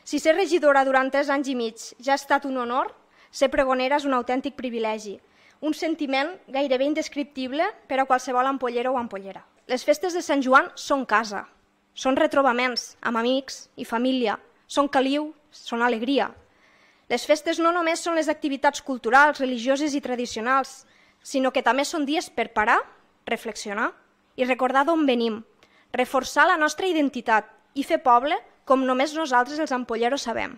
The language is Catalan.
Si ser regidora durant 3 anys i mig ja ha estat un honor, ser pregonera és un autèntic privilegi, un sentiment gairebé indescriptible per a qualsevol ampollera o ampollera. Les festes de Sant Joan són casa, són retrobaments amb amics i família, són caliu, són alegria. Les festes no només són les activitats culturals, religioses i tradicionals, sinó que també són dies per parar, reflexionar i recordar d'on venim, reforçar la nostra identitat i fer poble com només nosaltres els ampolleros sabem.